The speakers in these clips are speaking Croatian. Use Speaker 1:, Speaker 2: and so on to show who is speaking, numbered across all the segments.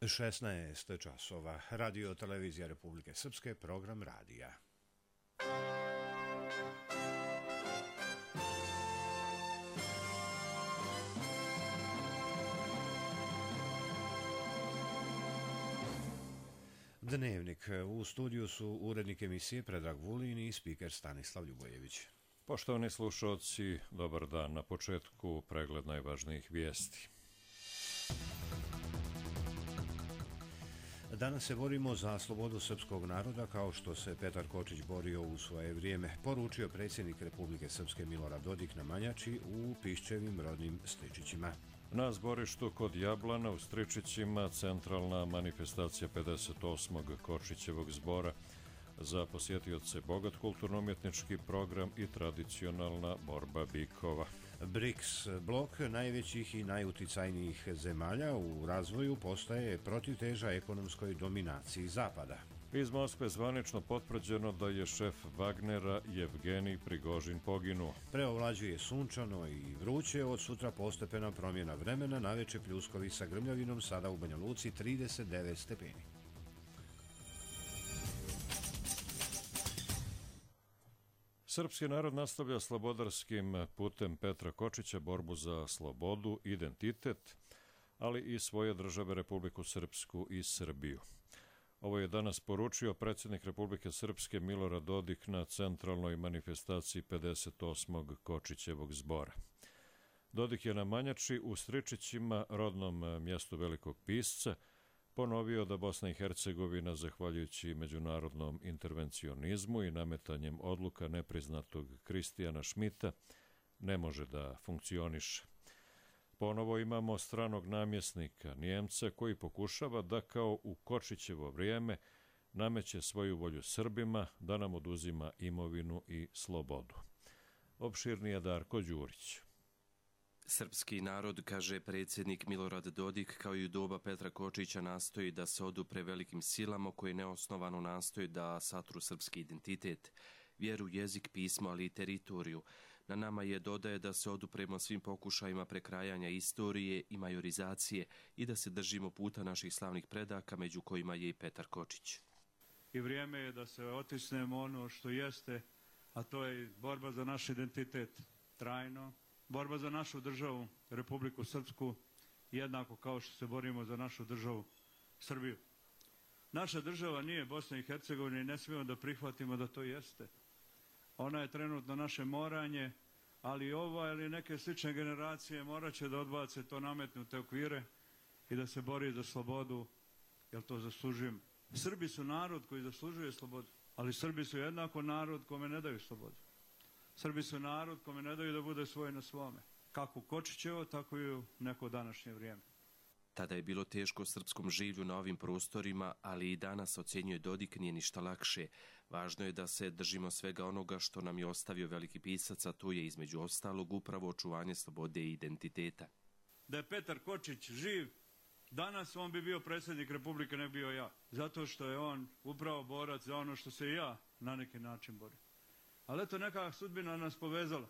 Speaker 1: 16 časova. Radio televizija Republike Srpske, program radija. Dnevnik. U studiju su urednik emisije Predrag Vulin i spiker Stanislav Ljubojević.
Speaker 2: Poštovani slušalci, dobar dan. Na početku pregled najvažnijih vijesti.
Speaker 1: Danas se borimo za slobodu srpskog naroda kao što se Petar Kočić borio u svoje vrijeme, poručio predsjednik Republike Srpske Milorad Dodik na Manjači u Piščevim rodnim Stričićima.
Speaker 2: Na zborištu kod Jablana u Stričićima centralna manifestacija 58. Kočićevog zbora. Za posjetioce bogat kulturno-umjetnički program i tradicionalna borba bikova.
Speaker 1: BRICS, blok najvećih i najuticajnijih zemalja u razvoju, postaje protivteža ekonomskoj dominaciji Zapada.
Speaker 2: Iz Moskve zvanično potvrđeno da je šef Wagnera Jevgenij Prigožin poginuo.
Speaker 1: Preovlađuje sunčano i vruće, od sutra postepena promjena vremena, naveče pljuskovi sa grmljavinom, sada u Banja Luci 39 stepeni.
Speaker 2: Srpski narod nastavlja slobodarskim putem Petra Kočića borbu za slobodu, identitet, ali i svoje države Republiku Srpsku i Srbiju. Ovo je danas poručio predsjednik Republike Srpske Milorad Dodik na centralnoj manifestaciji 58. Kočićevog zbora. Dodik je na Manjači u Stričićima, rodnom mjestu velikog pisca, ponovio da Bosna i Hercegovina, zahvaljujući međunarodnom intervencionizmu i nametanjem odluka nepriznatog Kristijana Šmita, ne može da funkcioniše. Ponovo imamo stranog namjesnika, Nijemca, koji pokušava da kao u Kočićevo vrijeme nameće svoju volju Srbima, da nam oduzima imovinu i slobodu. Opširnije Darko Đurić.
Speaker 3: Srpski narod, kaže predsjednik Milorad Dodik, kao i u doba Petra Kočića, nastoji da se odupre velikim silama koje neosnovano nastoji da satru srpski identitet, vjeru, jezik, pismo, ali i teritoriju. Na nama je, dodaje, da se odupremo svim pokušajima prekrajanja istorije i majorizacije i da se držimo puta naših slavnih predaka, među kojima je i Petar Kočić.
Speaker 4: I vrijeme je da se otisnemo ono što jeste, a to je borba za naš identitet trajno, borba za našu državu, Republiku Srpsku, jednako kao što se borimo za našu državu Srbiju. Naša država nije Bosna i Hercegovina i ne smijemo da prihvatimo da to jeste. Ona je trenutno naše moranje, ali ova ili neke slične generacije morat će da odbace to nametnute okvire i da se bori za slobodu, jer to zaslužujemo. Srbi su narod koji zaslužuje slobodu, ali Srbi su jednako narod kome ne daju slobodu. Srbi su narod kome ne daju da bude svoj na svome. Kako u Kočićevo, tako i u neko današnje vrijeme.
Speaker 3: Tada je bilo teško srpskom življu na ovim prostorima, ali i danas, ocjenjuje Dodik, nije ništa lakše. Važno je da se držimo svega onoga što nam je ostavio veliki pisac, a to je između ostalog upravo očuvanje slobode i identiteta.
Speaker 4: Da je Petar Kočić živ, danas on bi bio predsjednik Republike, ne bio ja. Zato što je on upravo borac za ono što se i ja na neki način borim. Ali eto, neka sudbina nas povezala.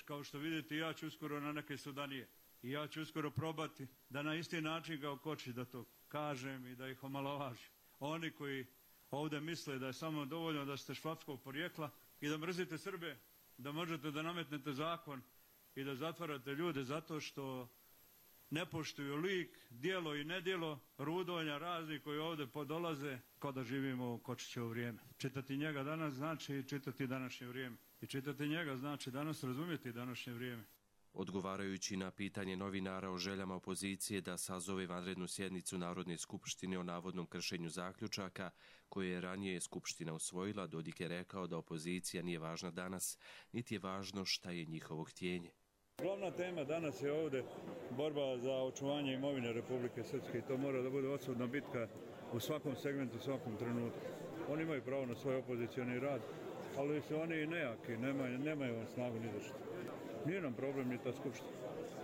Speaker 4: Kao što vidite, ja ću uskoro na neke sudanije. I ja ću uskoro probati da na isti način kao Kočić da to kažem i da ih omalovažim. Oni koji ovdje misle da je samo dovoljno da ste švapskog porijekla i da mrzite Srbe, da možete da nametnete zakon i da zatvarate ljude zato što ne poštuju lik, djelo i nedjelo Rudonja razni koji ovdje podolaze kao da živimo u Kočićevo vrijeme. Čitati njega danas znači čitati današnje vrijeme. I čitati njega znači danas razumjeti današnje vrijeme.
Speaker 3: Odgovarajući na pitanje novinara o željama opozicije da sazove vanrednu sjednicu Narodne skupštine o navodnom kršenju zaključaka koje je ranije Skupština usvojila, Dodik je rekao da opozicija nije važna danas, niti je važno šta je njihovo htjenje.
Speaker 4: Glavna tema danas je ovdje borba za očuvanje imovine Republike Srpske i to mora da bude odsudna bitka u svakom segmentu, u svakom trenutku. Oni imaju pravo na svoj opozicioni rad, ali su oni i nejaki, nemaju on snagu ni zašto. Nije nam problem ni ta skupština.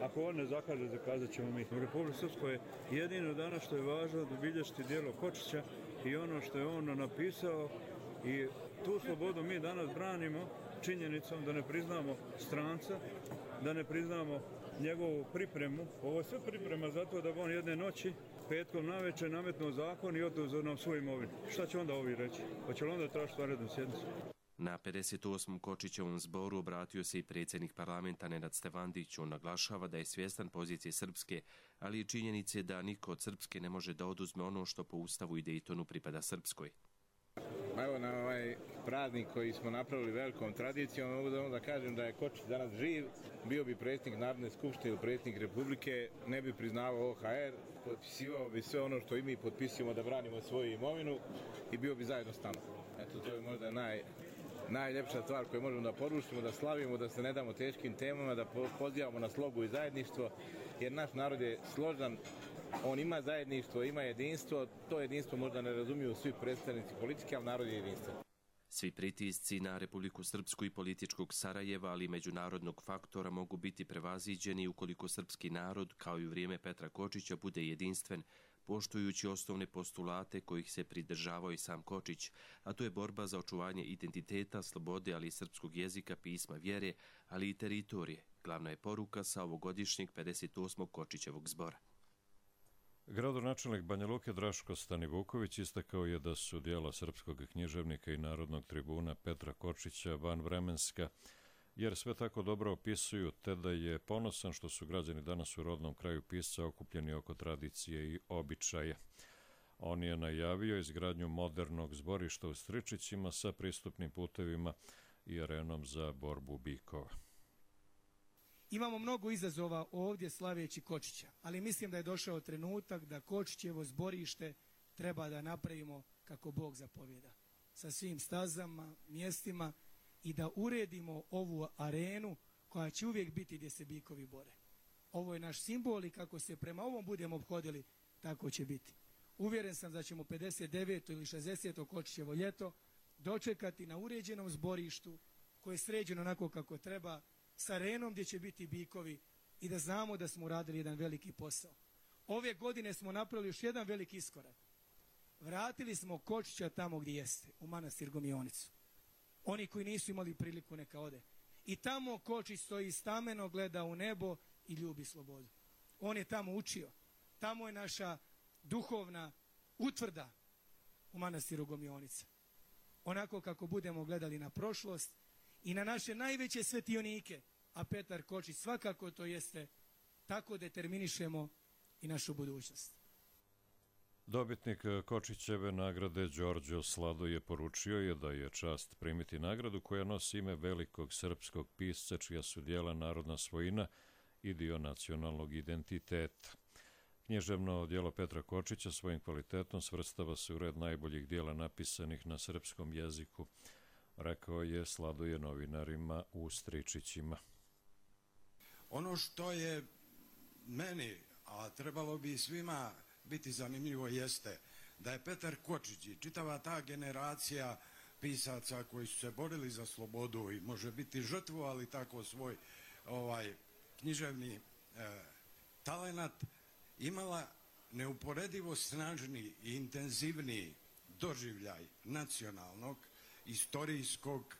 Speaker 4: Ako on ne zakaže, zakazat ćemo mi. U Republike Srpskoj je jedino danas što je važno da obilježiti djelo Kočića i ono što je on napisao i tu slobodu mi danas branimo činjenicom da ne priznamo stranca, da ne priznamo njegovu pripremu. Ovo je sve priprema zato da on jedne noći petkom navečer nametnuo zakon i oduzeo nam svoju imovinu. Šta će onda ovi reći? Hoće li onda tražiti vanrednu sjednicu?
Speaker 3: Na 58. Kočićevom zboru obratio se i predsjednik parlamenta Nenad Stevandić. On naglašava da je svjestan pozicije Srpske, ali i činjenice da niko od Srpske ne može da oduzme ono što po Ustavu i Dejtonu pripada Srpskoj.
Speaker 5: Evo na ovaj praznik koji smo napravili velikom tradicijom, mogu da kažem da je Kočić danas živ, bio bi predsjednik Narodne skupštine ili predsjednik Republike, ne bi priznavao OHR, potpisivao bi sve ono što i mi potpisujemo da branimo svoju imovinu i bio bi zajedno s nama. Eto, to je možda najljepša stvar koju možemo da poručimo, da slavimo, da se ne damo teškim temama, da pozivamo na slogu i zajedništvo, jer naš narod je složan, on ima zajedništvo, ima jedinstvo, to jedinstvo možda ne razumiju svi predstavnici politike, ali narod je jedinstven.
Speaker 3: Svi pritisci na Republiku Srpsku i političkog Sarajeva, ali i međunarodnog faktora mogu biti prevaziđeni ukoliko srpski narod, kao i u vrijeme Petra Kočića, bude jedinstven, poštujući osnovne postulate kojih se pridržavao i sam Kočić, a to je borba za očuvanje identiteta, slobode, ali i srpskog jezika, pisma, vjere, ali i teritorije. Glavna je poruka sa ovogodišnjeg 58. Kočićevog zbora.
Speaker 2: Gradonačelnik Banja Luke Draško Stanivuković istakao je da su djela srpskog književnika i narodnog tribuna Petra Kočića vanvremenska, jer sve tako dobro opisuju, te da je ponosan što su građani danas u rodnom kraju pisca okupljeni oko tradicije i običaja. On je najavio izgradnju modernog zborišta u Stričićima sa pristupnim putevima i arenom za borbu bikova.
Speaker 6: Imamo mnogo izazova ovdje slaveći Kočića, ali mislim da je došao trenutak da Kočićevo zborište treba da napravimo kako Bog zapovjeda. Sa svim stazama, mjestima i da uredimo ovu arenu koja će uvijek biti gdje se bikovi bore. Ovo je naš simbol i kako se prema ovom budemo obhodili, tako će biti. Uvjeren sam da ćemo 59. ili 60. Kočićevo ljeto dočekati na uređenom zborištu koje je sređeno onako kako treba, s arenom gdje će biti bikovi i da znamo da smo uradili jedan veliki posao. Ove godine smo napravili još jedan veliki iskorak. Vratili smo Kočića tamo gdje jeste, u manastir Gomionicu. Oni koji nisu imali priliku neka ode. I tamo Kočić stoji stameno, gleda u nebo i ljubi slobodu. On je tamo učio. Tamo je naša duhovna utvrda u manastiru Gomionica. Onako kako budemo gledali na prošlost i na naše najveće svetionike, a Petar Kočić svakako to jeste, tako determinišemo i našu budućnost.
Speaker 2: Dobitnik Kočićeve nagrade Đorđo Slado je poručio je da je čast primiti nagradu koja nosi ime velikog srpskog pisca čija su djela narodna svojina i dio nacionalnog identiteta. Književno djelo Petra Kočića svojim kvalitetom svrstava se u red najboljih djela napisanih na srpskom jeziku, rekao je Sladoje novinarima u Stričićima.
Speaker 7: Ono što je meni, a trebalo bi svima biti zanimljivo, jeste da je Petar Kočić i čitava ta generacija pisaca koji su se borili za slobodu i može biti žrtvovali tako svoj književni talenat, imala neuporedivo snažniji i intenzivniji doživljaj nacionalnog, istorijskog,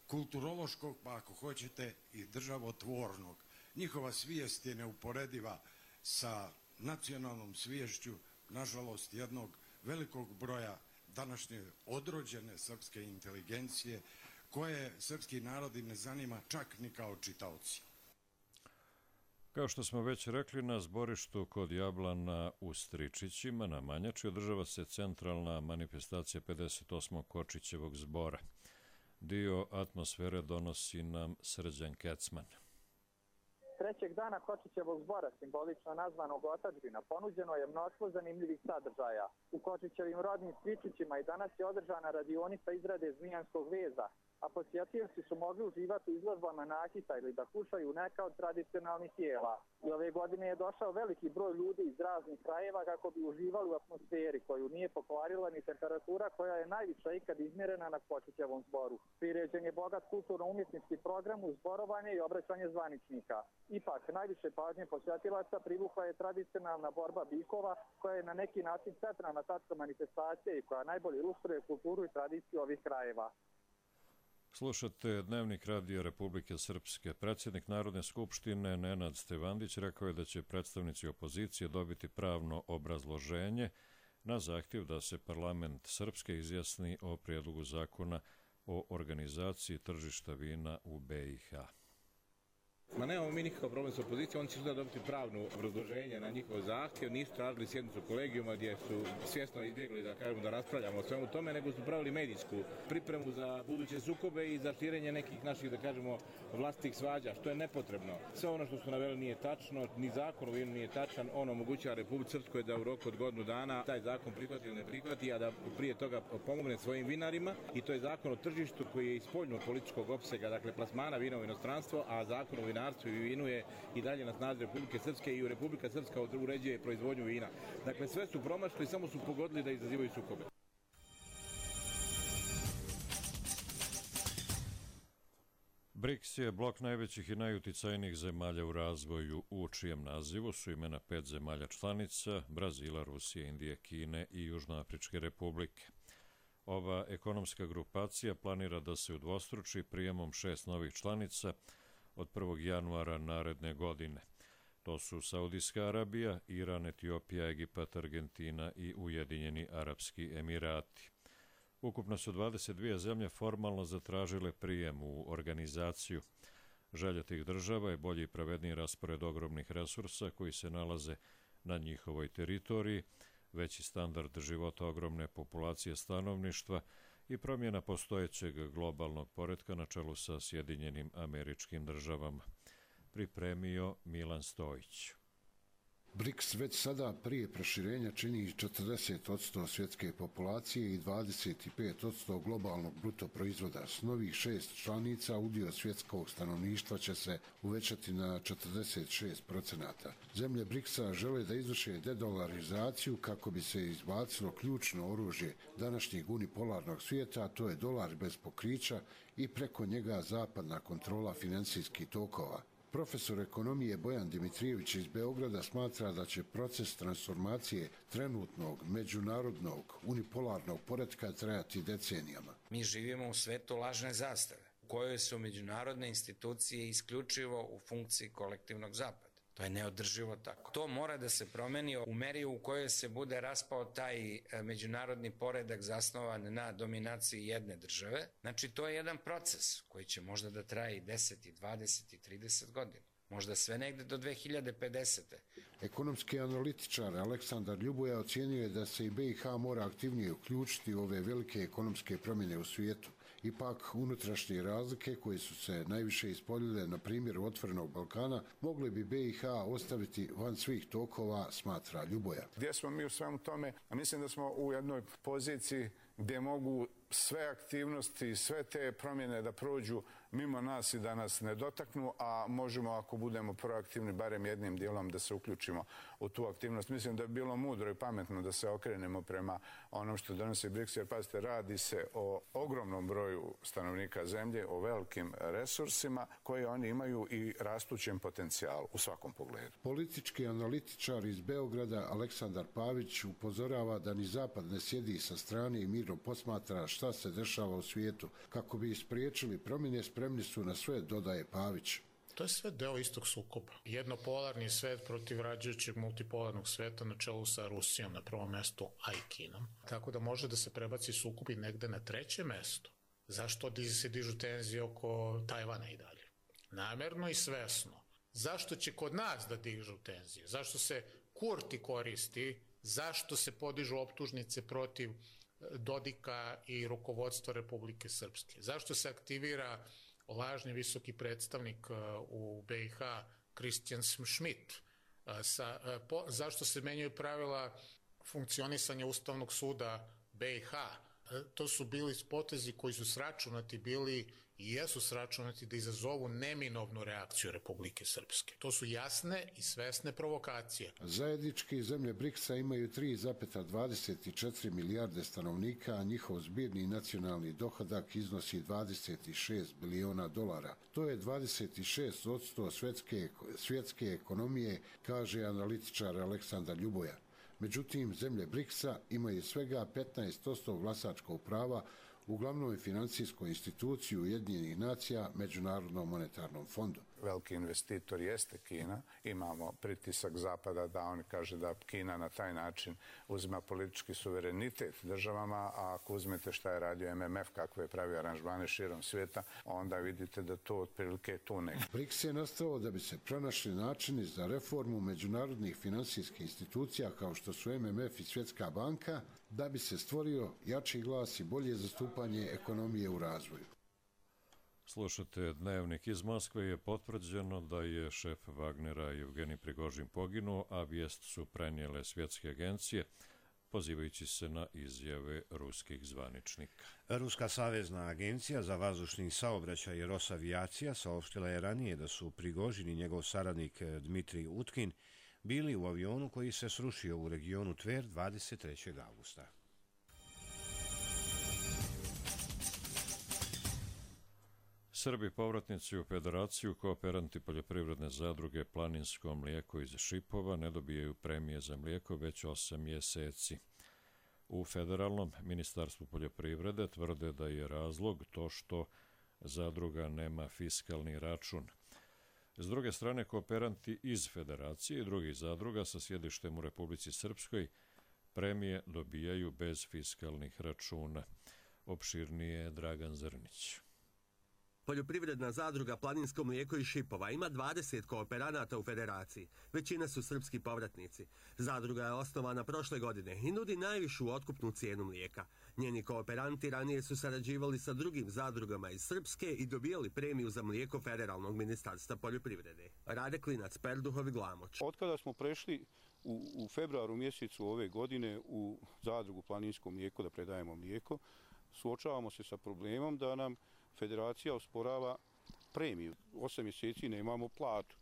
Speaker 7: kulturološkog, pa ako hoćete i državotvornog. Njihova svijest je neuporediva sa nacionalnom sviješću, nažalost, jednog velikog broja današnje odrođene srpske inteligencije, koje srpski narodi ne zanima čak ni kao čitaoci.
Speaker 2: Kao što smo već rekli, na zborištu kod Jablana u Stričićima na Manjači održava se centralna manifestacija 58. Kočićevog zbora. Dio atmosfere donosi nam Srđan Kecman.
Speaker 8: Trećeg dana Kočićevog zbora, simbolično nazvanog Otadžbina, ponuđeno je mnoštvo zanimljivih sadržaja. U Kočićevim rodnim Stričićima i danas je održana radionica izrade zmijanskog veza, a posjetioci su mogli uživati u izložbama nakita ili da kušaju neka od tradicionalnih jela. I ove godine je došao veliki broj ljudi iz raznih krajeva kako bi uživali u atmosferi koju nije pokvarila ni temperatura koja je najviša ikad izmjerena na Kočićevom zboru. Priređen je bogat kulturno-umjetnički program uz zborovanje i obraćanje zvaničnika. Ipak, najviše pažnje posjetilaca privukla je tradicionalna borba bikova koja je na neki način centralna tačka manifestacije i koja najbolje ilustruje kulturu i tradiciju ovih krajeva.
Speaker 2: Slušate Dnevnik radija Republike Srpske. Predsjednik Narodne skupštine Nenad Stevandić rekao je da će predstavnici opozicije dobiti pravno obrazloženje na zahtjev da se parlament Srpske izjasni o prijedlogu zakona o organizaciji tržišta vina u BiH.
Speaker 5: Ma nemamo mi nikakav problem s opozicijom, oni će sutra dobiti pravno obrazloženje na njihov zahtjev, nisu tražili sjednicu kolegijuma gdje su svjesno izbjegli da raspravljamo o svemu tome, nego su pravili medijsku pripremu za buduće sukobe i za širenje nekih naših, vlastitih svađa, što je nepotrebno. Sve ono što su naveli nije tačno, ni zakon o vinu nije tačan, on omogućava Republici Srpskoj da u roku od godinu dana taj zakon prihvati ili ne prihvati, a da prije toga pomogne svojim vinarima, i to je zakon o tržištu koji je iz spoljnog političkog opsega, plasmana vina u inostranstvo, a zakon o vinarstvu i vinu je i dalje na snazi Republike Srpske i Republika Srpska uređuje proizvodnju vina. Dakle, sve su promašili, samo su pogodili da izazivaju sukobe.
Speaker 2: BRICS je blok najvećih i najuticajnijih zemalja u razvoju, u čijem nazivu su imena 5 zemalja članica: Brazila, Rusije, Indije, Kine i Južnoafričke republike. Ova ekonomska grupacija planira da se udvostruči prijemom 6 novih članica od 1. januara naredne godine. To su Saudijska Arabija, Iran, Etiopija, Egipat, Argentina i Ujedinjeni Arapski Emirati. Ukupno su 22 zemlje formalno zatražile prijem u organizaciju. Želja tih država je bolji i pravedniji raspored ogromnih resursa koji se nalaze na njihovoj teritoriji, veći standard života ogromne populacije stanovništva i promjena postojećeg globalnog poretka na čelu sa Sjedinjenim Američkim Državama. Pripremio Milan Stojić.
Speaker 9: BRICS već sada prije proširenja čini 40% svjetske populacije i 25% globalnog bruto proizvoda. S novih 6 članica udio svjetskog stanovništva će se uvećati na 46%. Zemlje BRICS-a žele da izvrše dedolarizaciju kako bi se izbacilo ključno oružje današnjeg unipolarnog svijeta, a to je dolar bez pokrića i preko njega zapadna kontrola financijskih tokova. Profesor ekonomije Bojan Dimitrijević iz Beograda smatra da će proces transformacije trenutnog međunarodnog unipolarnog poretka trajati decenijama.
Speaker 10: Mi živimo u svetu lažne zastave, u kojoj su međunarodne institucije isključivo u funkciji kolektivnog zapada. To je neodrživo tako. To mora da se promeni u meri u kojoj se bude raspao taj međunarodni poredak zasnovan na dominaciji jedne države. Znači, to je jedan proces koji će možda da traje i 10, i 20, i 30 godina. Možda sve negde do 2050.
Speaker 9: Ekonomski analitičar Aleksandar Ljuboja ocijenio je da se i BiH mora aktivnije uključiti u ove velike ekonomske promjene u svijetu. Ipak, unutrašnje razlike koje su se najviše ispoljile na primjeru Otvorenog Balkana mogli bi BiH ostaviti van svih tokova, smatra Ljuboja.
Speaker 11: Gdje smo mi u svemu tome? Mislim da smo u jednoj poziciji gdje mogu sve aktivnosti i sve te promjene da prođu mimo nas i da nas ne dotaknu, a možemo, ako budemo proaktivni, barem jednim dijelom da se uključimo u tu aktivnost. Mislim da bi bilo mudro i pametno da se okrenemo prema onom što donosi BRICS, jer pazite, radi se o ogromnom broju stanovnika zemlje, o velikim resursima koje oni imaju i rastućem potencijalu u svakom pogledu.
Speaker 9: Politički analitičar iz Beograda Aleksandar Pavić upozorava da ni Zapad ne sjedi sa strane i mirno posmatra šta se dešava u svijetu. Kako bi spriječili promjene, spremni su na sve, dodaje Pavić.
Speaker 12: To je sve deo istog sukoba. Jednopolarni svet protiv rađajućeg multipolarnog sveta na čelu sa Rusijom na prvom mestu, a i Kinom. Tako da može da se prebaci sukob i negde na treće mesto. Zašto se dižu tenzije oko Tajvana i dalje? Namerno i svesno. Zašto će kod nas da dižu tenzije? Zašto se Kurti koristi? Zašto se podižu optužnice protiv Dodika i rukovodstva Republike Srpske? Zašto se aktivira lažni visoki predstavnik u BiH Christian Schmidt? Zašto se menjaju pravila funkcionisanja Ustavnog suda BiH? To su bili potezi koji su sračunati bili i jesu sračunati da izazovu neminovnu reakciju Republike Srpske. To su jasne i svesne provokacije.
Speaker 9: Zajednički zemlje BRICS-a imaju 3,24 milijarde stanovnika, a njihov zbirni nacionalni dohodak iznosi 26 biliona dolara. To je 26% svjetske ekonomije, kaže analitičar Aleksandar Ljuboja. Međutim, zemlje BRICS-a imaju svega 15% glasačkog prava u glavnoj financijskoj instituciji Ujedinjenih nacija, Međunarodnom monetarnom fondu.
Speaker 11: Veliki investitor jeste Kina. Imamo pritisak Zapada da on kaže da Kina na taj način uzima politički suverenitet državama, a ako uzmete šta je radio MMF, kakve je pravio aranžmane širom svijeta, onda vidite da to otprilike tu ne.
Speaker 9: BRICS je nastao da bi se pronašli načini za reformu međunarodnih finansijskih institucija kao što su MMF i Svjetska banka, da bi se stvorio jači glas i bolje zastupanje ekonomije u razvoju.
Speaker 2: Slušate Dnevnik iz Moskve. Je potvrđeno da je šef Wagnera Evgenij Prigožin poginuo, a vijest su prenijele svjetske agencije, pozivajući se na izjave ruskih zvaničnika.
Speaker 1: Ruska savezna agencija za vazdušni saobraćaj Rosavijacija saopštila je ranije da su Prigožin i njegov saradnik Dmitrij Utkin bili u avionu koji se srušio u regionu Tver 23. augusta.
Speaker 2: Srbi povratnici u Federaciju, kooperanti poljoprivredne zadruge Planinsko mlijeko iz Šipova ne dobijaju premije za mlijeko već 8 mjeseci. U Federalnom ministarstvu poljoprivrede tvrde da je razlog to što zadruga nema fiskalni račun. S druge strane, kooperanti iz Federacije i drugih zadruga sa sjedištem u Republici Srpskoj premije dobijaju bez fiskalnih računa. Opširnije Dragan Zrnić.
Speaker 13: Poljoprivredna zadruga Planinsko mlijeko iz Šipova ima 20 kooperanata u Federaciji. Većina su srpski povratnici. Zadruga je osnovana prošle godine i nudi najvišu otkupnu cijenu mlijeka. Njeni kooperanti ranije su sarađivali sa drugim zadrugama iz Srpske i dobijali premiju za mlijeko Federalnog ministarstva poljoprivrede. Rade Klinac, Perduhov i Glamoč.
Speaker 14: Otkada smo prešli u februaru mjesecu ove godine u zadrugu Planinsko mlijeko da predajemo mlijeko, suočavamo se sa problemom da nam Federacija osporava premiju. 8 mjeseci nemamo platu.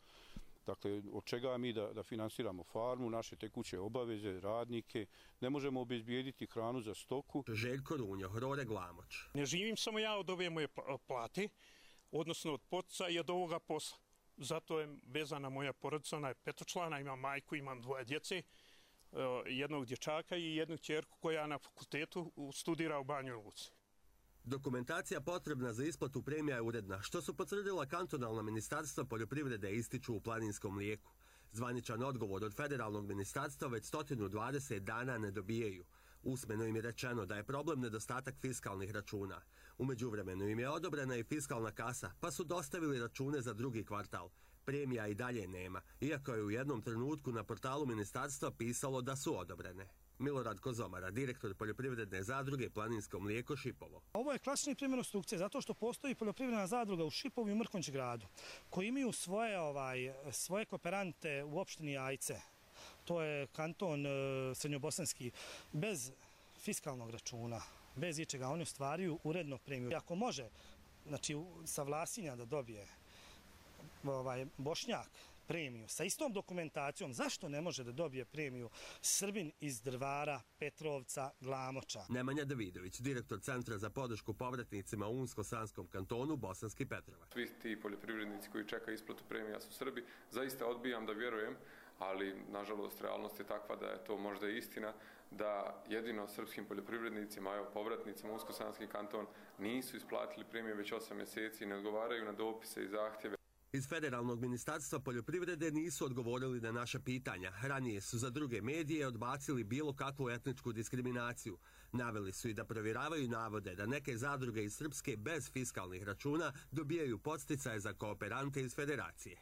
Speaker 14: Dakle, od čega mi da finansiramo farmu, naše tekuće obaveze, radnike, ne možemo obezbijediti hranu za stoku.
Speaker 13: Željko Runjo, Rode Glamoč.
Speaker 15: Ne živim samo ja od ove moje plate, odnosno od potica i od ovoga posla. Zato je vezana moja porodica, ona je petočlana, imam majku, imam 2 djece, jednog dječaka i jednu kćerku koja na fakultetu studira u Banjoj Luci.
Speaker 13: Dokumentacija potrebna za isplatu premija je uredna, što su potvrdila kantonalna ministarstva poljoprivrede ističu u Planinskom mlijeku. Zvaničan odgovor od federalnog ministarstva već 120 dana ne dobijaju. Usmeno im je rečeno da je problem nedostatak fiskalnih računa. U međuvremenu im je odobrena i fiskalna kasa, pa su dostavili račune za drugi kvartal. Premija i dalje nema, iako je u jednom trenutku na portalu ministarstva pisalo da su odobrene. Milorad Kozomara, direktor poljoprivredne zadruge Planinsko mlijeko Šipovo.
Speaker 16: Ovo je klasični primjer opstrukcije, zato što postoji poljoprivredna zadruga u Šipovu i Mrkonjić gradu, koji imaju svoje kooperante u opštini Ajce. To je kanton srednjobosanski, bez fiskalnog računa, bez ičega. Oni ostvaruju uredno premiju. Ako može, znači, sa Vlasinja da dobije Bošnjak premiju sa istom dokumentacijom, zašto ne može da dobije premiju Srbin iz Drvara, Petrovca, Glamoča?
Speaker 13: Nemanja Davidović, direktor Centra za podršku povratnicima u Unsko-Sanskom kantonu Bosanski Petrovac.
Speaker 17: Svi ti poljoprivrednici koji čekaju isplatu premija su Srbi. Zaista odbijam da vjerujem, ali nažalost realnost je takva da je to možda istina, da jedino srpskim poljoprivrednicima, evo povratnicima u Unsko-Sanski kanton nisu isplatili premije već 8 mjeseci i ne odgovaraju na dopise i zahtjeve.
Speaker 13: Iz Federalnog ministarstva poljoprivrede nisu odgovorili na naša pitanja. Ranije su za druge medije odbacili bilo kakvu etničku diskriminaciju. Naveli su i da provjeravaju navode da neke zadruge iz Srpske bez fiskalnih računa dobijaju podsticaje za kooperante iz Federacije.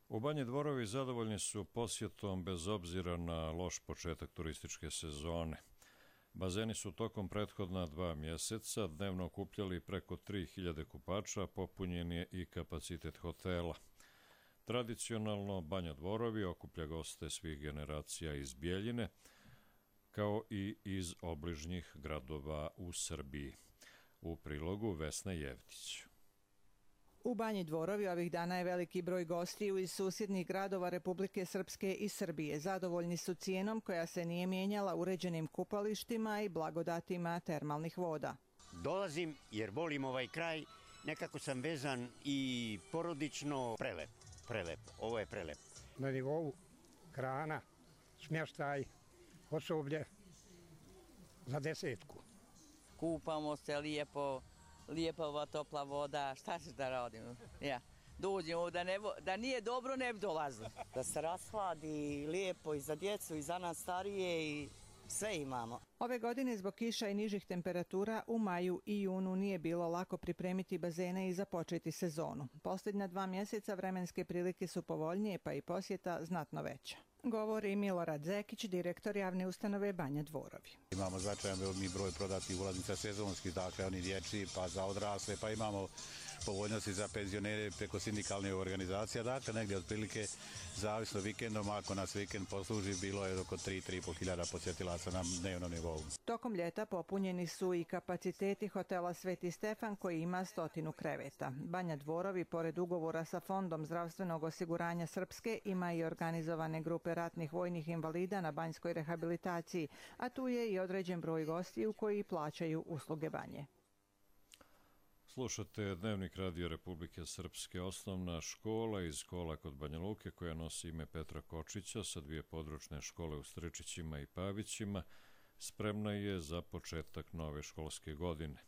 Speaker 2: U Banji Dvorovi zadovoljni su posjetom bez obzira na loš početak turističke sezone. Bazeni su tokom prethodna 2 mjeseca dnevno okupljali preko 3000 kupača, popunjen je i kapacitet hotela. Tradicionalno Banja Dvorovi okuplja goste svih generacija iz Bijeljine, kao i iz obližnjih gradova u Srbiji. U prilogu Vesna Jevtić.
Speaker 18: U Banji Dvorovi ovih dana je veliki broj gostiju iz susjednih gradova Republike Srpske i Srbije. Zadovoljni su cijenom koja se nije mijenjala, uređenim kupalištima i blagodatima termalnih voda.
Speaker 19: Dolazim jer volim ovaj kraj, nekako sam vezan i porodično. Prelep, ovo je prelep.
Speaker 20: Na nivou hrana, smještaj, osoblje za 10.
Speaker 21: kupamo se lijepo, lijepa ova topla voda, šta ćeš da radimo? Ja. Dođemo, da nije dobro ne bi dolazili.
Speaker 22: Da se rashladi lijepo i za djecu i za nas starije i sve imamo.
Speaker 18: Ove godine zbog kiša i nižih temperatura u maju i junu nije bilo lako pripremiti bazene i započeti sezonu. Posljednja 2 mjeseca vremenske prilike su povoljnije pa i posjeta znatno veća. Govori Milorad Zekić, direktor javne ustanove Banja Dvorovi.
Speaker 23: Imamo značajan veliki broj prodatih ulaznica sezonskih, dakle oni dječji pa za odrasle, pa imamo povoljnosti za penzionere preko sindikalnih organizacija, dakle negdje otprilike zavisno vikendom, ako nas vikend posluži, bilo je oko 3-3,5 hiljada posjetilaca na dnevnom nivou.
Speaker 18: Tokom ljeta popunjeni su i kapaciteti hotela Sveti Stefan koji ima 100 kreveta. Banja Dvorovi, pored ugovora sa Fondom zdravstvenog osiguranja Srpske, ima i organizovane grupe ratnih vojnih invalida na banjskoj rehabilitaciji, a tu je i određen broj gostiju koji plaćaju usluge banje.
Speaker 2: Slušate Dnevnik Radio Republike Srpske. Osnovna škola iz Kola kod Banja Luke, koja nosi ime Petra Kočića sa 2 područne škole u Stričićima i Pavićima, spremna je za početak nove školske godine.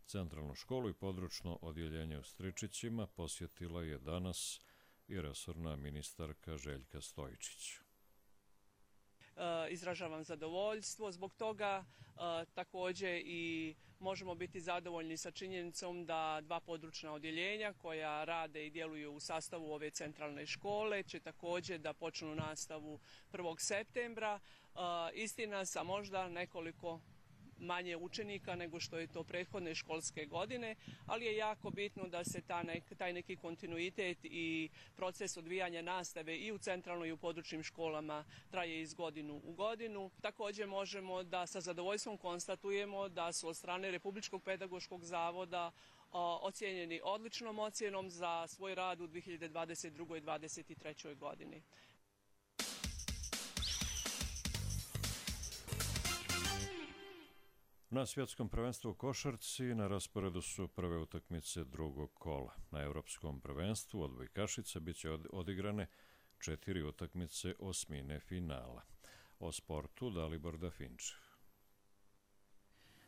Speaker 2: Centralnu školu i područno odjeljenje u Stričićima posjetila je danas i resorna ministarka Željka Stojičić.
Speaker 24: Izražavam zadovoljstvo zbog toga, također i možemo biti zadovoljni sa činjenicom da 2 područna odjeljenja koja rade i djeluju u sastavu ove centralne škole će također da počnu nastavu 1. septembra. Istina sa možda nekoliko manje učenika nego što je to prethodne školske godine, ali je jako bitno da se taj neki kontinuitet i proces odvijanja nastave i u centralnoj i u područnim školama traje iz godinu u godinu. Također možemo da sa zadovoljstvom konstatujemo da su od strane Republičkog pedagoškog zavoda ocijenjeni odličnom ocjenom za svoj rad u 2022. i 2023. godini.
Speaker 2: Na svjetskom prvenstvu u košarci na rasporedu su prve utakmice drugog kola. Na evropskom prvenstvu odbojkašica bit će odigrane 4 utakmice osmine finala. O sportu Dalibor Dafinčev.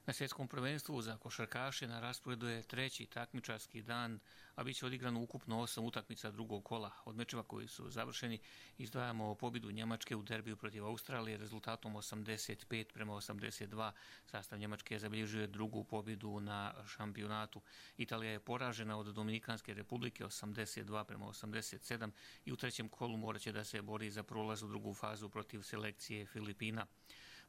Speaker 25: Na svjetskom prvenstvu za košarkaše na rasporedu je 3. takmičarski dan, a bit će odigrano ukupno 8 utakmica drugog kola. Od mečeva koji su završeni izdvajamo pobjedu Njemačke u derbiju protiv Australije rezultatom 85-82. Sastav Njemačke je zabilježio drugu pobjedu na šampionatu. Italija je poražena od Dominikanske republike 82-87 i u trećem kolu morat će da se bori za prolaz u drugu fazu protiv selekcije Filipina.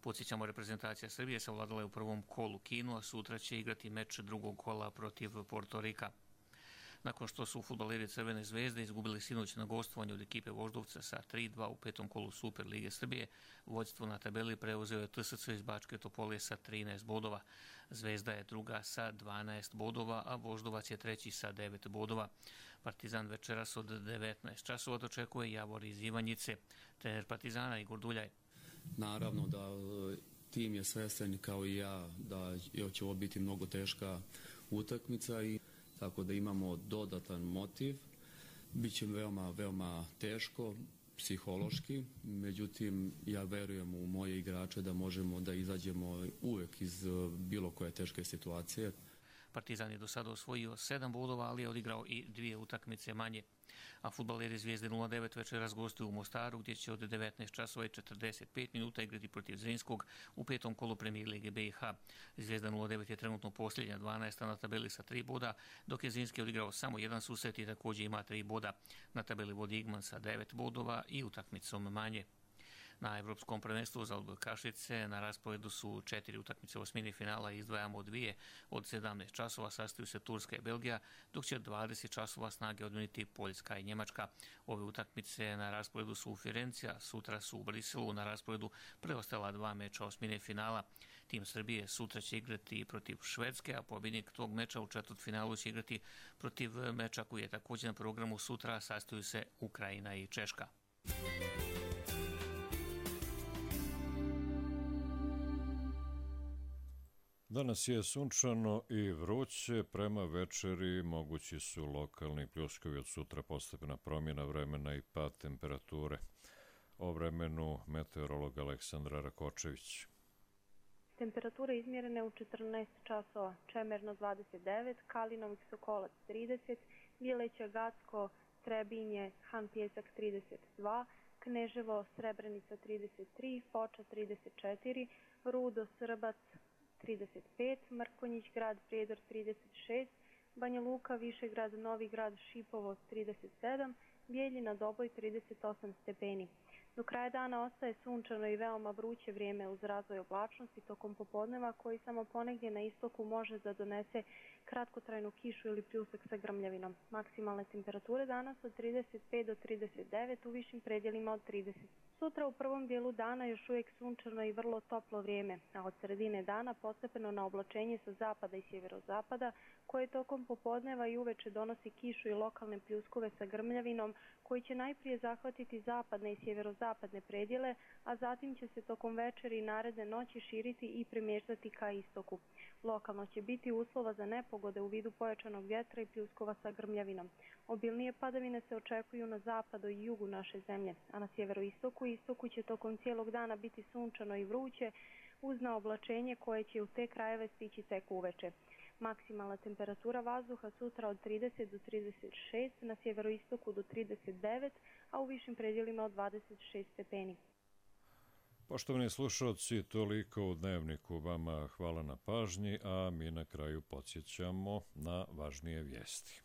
Speaker 25: Podsjećamo, reprezentacija Srbije savladala je u prvom kolu Kinu, a sutra će igrati meč drugog kola protiv Portorika. Nakon što su fudbaleri Crvene zvezde izgubili sinoć na gostovanju od ekipe Voždovca sa 3-2 u 5. kolu Super Lige Srbije, vođstvo na tabeli preuzeo je TSC iz Bačke Topole sa 13 bodova. Zvezda je druga sa 12 bodova, a Voždovac je treći sa 9 bodova. Partizan večeras od 19 časova dočekuje Javor iz Ivanjice. Trener Partizana Igor Duljaj.
Speaker 26: Naravno da tim je svestan kao i ja da će ovo biti mnogo teška utakmica i tako da imamo dodatan motiv. Biće veoma, veoma teško psihološki, međutim ja verujem u moje igrače da možemo da izađemo uvek iz bilo koje teške situacije.
Speaker 25: Partizan je do sada osvojio 7 bodova, ali je odigrao i 2 utakmice manje. A fudbaleri Zvijezde 09 večeras gostuju u Mostaru, gdje će od 19 časova i 45 minuta igrati protiv Zrinskog u 5. kolu Premijer Lige BiH. Zvijezda 09 je trenutno posljednja 12. na tabeli sa 3 boda, dok je Zrinski odigrao samo jedan susret i također ima 3 boda. Na tabeli vodi Igman sa 9 bodova i utakmicom manje. Na Evropskom prvenstvu za odbojkašice na rasporedu su 4 utakmice osmini finala, izdvajamo 2 od 17 časova, sastaju se Turska i Belgija, dok će 20 časova snage odmjeniti Poljska i Njemačka. Ove utakmice na rasporedu su u Firenci, a sutra su u Briselu na rasporedu preostala 2 meča osmine finala. Tim Srbije sutra će igrati protiv Švedske, a pobjednik tog meča u četvrtfinalu će igrati protiv meča koji je također na programu sutra, sastaju se Ukrajina i Češka.
Speaker 2: Danas je sunčano i vruće, prema večeri mogući su lokalni pljuskovi, od sutra postepena promjena vremena i pad temperature. O vremenu meteorolog Aleksandra Rakočević.
Speaker 3: Temperature izmjerene u 14 časova. Čemerno 29, Kalinovik Sokolac 30, Bileća Gacko, Trebinje, Han Pjesak 32, Kneževo Srebrenica 33, Foča 34, Rudo Srbac 35, Mrkonjić Grad Prijedor 36, Banja Luka Višegrad Novi Grad Šipovo 37, Bijeljina Doboj 38 stepeni. Do kraja dana ostaje sunčano i veoma vruće vrijeme uz razvoj oblačnosti tokom popodneva koji samo ponegdje na istoku može da donese kratkotrajnu kišu ili pljusak sa grmljavinom. Maksimalne temperature danas od 35 do 39, u višim predjelima od 30. Sutra u prvom dijelu dana još uvijek sunčano i vrlo toplo vrijeme, a od sredine dana postepeno na oblačenje sa zapada i sjeverozapada koje tokom popodneva i uveče donosi kišu i lokalne pljuskove sa grmljavinom koji će najprije zahvatiti zapadne i sjeverozapadne predjele, a zatim će se tokom večeri i naredne noći širiti i premještati ka istoku. Lokalno će biti uslova za nepogode u vidu pojačanog vjetra i pljuskova sa grmljavinom. Obilnije padavine se očekuju na zapadu i jugu naše zemlje, a na sjeveroistoku i istoku će tokom cijelog dana biti sunčano i vruće uz naoblačenje koje će u te krajeve stići tek uveče. Maksimalna temperatura vazduha sutra od 30 do 36, na sjeveroistoku do 39, a u višim predjelima od 26 stepeni.
Speaker 2: Poštovani slušalci, toliko u Dnevniku. Vama hvala na pažnji, a mi na kraju podsjećamo na važnije vijesti.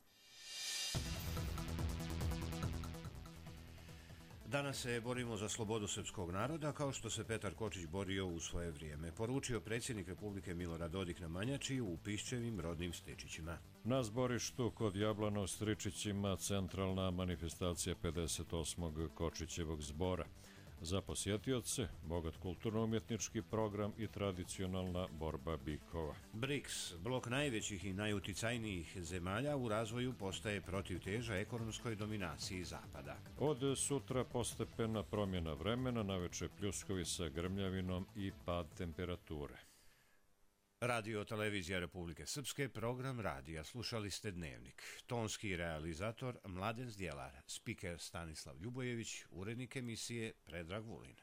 Speaker 1: Danas se borimo za slobodu srpskog naroda, kao što se Petar Kočić borio u svoje vrijeme, poručio predsjednik Republike Milorad Dodik na Manjači u Piščevim rodnim Stričićima.
Speaker 2: Na zborištu kod Jablana u Stričićima centralna manifestacija 58. Kočićevog zbora. Za posjetioce, bogat kulturno-umjetnički program i tradicionalna borba bikova.
Speaker 1: BRICS, blok najvećih i najuticajnijih zemalja u razvoju, postaje protivteža ekonomskoj dominaciji Zapada.
Speaker 2: Od sutra postepena promjena vremena, naveče pljuskovi sa grmljavinom i pad temperature.
Speaker 1: Radio Televizija Republike Srpske, program radija. Slušali ste Dnevnik. Tonski realizator Mladen Zdjelar, spiker Stanislav Ljubojević, urednik emisije Predrag Vulin.